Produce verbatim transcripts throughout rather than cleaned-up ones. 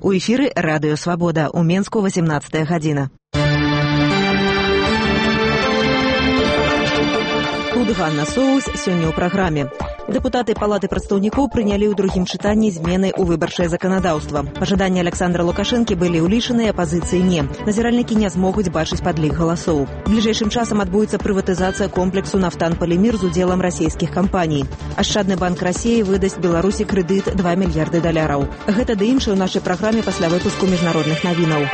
У эфіры Радыё Свабода. У Менску восемнадцатая гадзіна. Тут Ганна Соус сёння ў праграме. Дэпутаты Палаты прадстаўнікоў прынялі ў другім чытанні змены ў выбарчае заканадаўства. Пажаданні Александра Лукашэнкі былі ўлічаныя, апазіцыі не. Назіральнікі не змогуць бачыць падлік галасоў. Бліжэйшым часам адбудзецца прыватызацыя комплексу «Нафтан-Полимир» з удзелам расійскіх кампаній. Ашчадны банк Расіі выдасць Беларусі крэдыт два мільярды даляраў. Гэта ды іншае ў нашай праграме пасля выпуску міжнародных навінаў.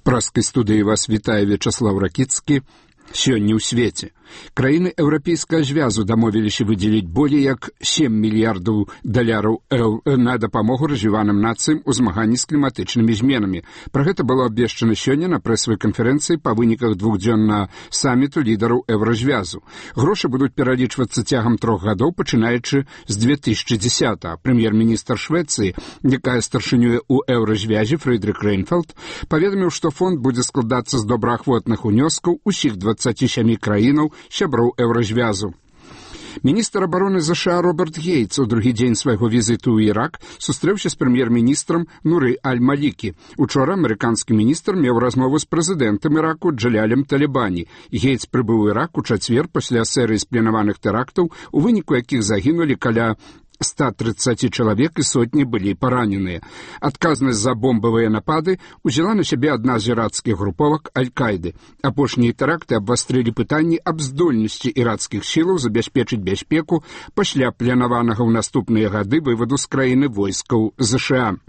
Праскай студыі вас вітае Вячаслав Ракіцкі. Сёння ў свеце. Краіны Еўрапейскага звязу дамовіліся выдзеліць болей як сем мільярдаў даляраў на дапамогу развіваным нацыям у змаганні з кліматычнымі зменамі. Пра гэта было абвешчана сёння на прэсавай канферэнцыі па выніках двухдзённага саміту лідараў Еўразвязу. Грошы будуць пералічвацца цягам трох гадоў, пачынаючы з две тысячы дзесятага. Прэм'ер-міністр Швецыі, якая старшынюе ў Еўразвязе, Фрыдрых Рейнфельд, паведаміў, што фонд будзе складацца з добраахвотных унёскаў усіх дваццаці сямі краінаў, сяброў Еўразвязу. Міністр абароны ЗША Роберт Гейтс у другі дзень свайго візіту ў Ірак сустрэўся з прэм'ер-міністрам Нуры Аль-Малікі. Учора амерыканскі міністр меў размову з прэзідэнтам Іраку Джалялем Талібані. Гейтс прыбыў у Ірак у чацвер пасля серыі спланаваных тэрактаў, у выніку якіх загінулі каля ста трыццаці чалавек і сотні былі параненыя. Адказнасць за бомбавыя напады узяла на сябе адна з ірацкіх груповак Аль-Кайды. Апошнія тэракты абвастрылі пытанні аб здольнасці ірацкіх сілаў забяспечыць бяспеку пасля планаванага ў наступныя гады вываду з краіны войскаў ЗША.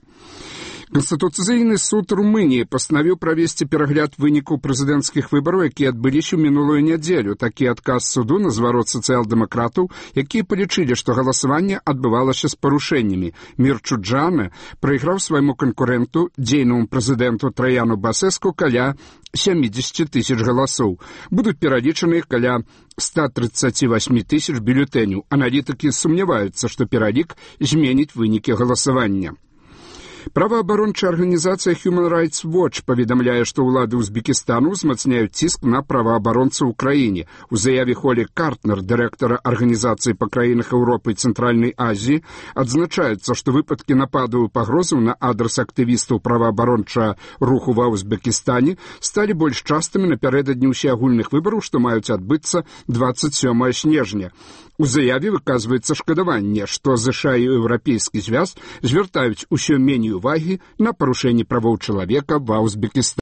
Канстытуцыйны суд Румыніі пастанавіў правесці перагляд вынікаў прэзідэнцкіх выбараў, якія адбыліся ў мінулую нядзелю. Такі адказ суду на зварот сацыял-дэмакратаў, якія палічылі, што галасаванне адбывалася з парушэннямі. Мірчу Джана прайграў свайму канкурэнту, дзейнаму прэзідэнту Траяну Басэску, каля сямдзесят тысяч галасоў. Будуць пералічаны каля ста трыццаці васьмі тысяч бюлетэняў. Аналітыкі сумняваюцца, што пералік зменіць вынікі галасавання. Праваабарончая арганізацыя Human Rights Watch паведамляе, што ўлады Узбекістану ўзмацняюць ціск на праваабаронцаў у краіне. У заяве Холі Картнер, дырэктара арганізацыі па краінах Еўропы і Цэнтральнай Азіі, адзначаецца, што выпадкі нападаў і пагрозаў на адрас актывістаў праваабарончага руху ва Узбекістане сталі больш частымі напярэдадні ўсеагульных выбараў, што маюць адбыцца дваццаць сёмага снежня. У заяве выказваецца шкадаванне, што ЗША і Еўрапейскі звяз звяртаюць усё меней увагі на парушэнні правоў чалавека ва Узбекістане.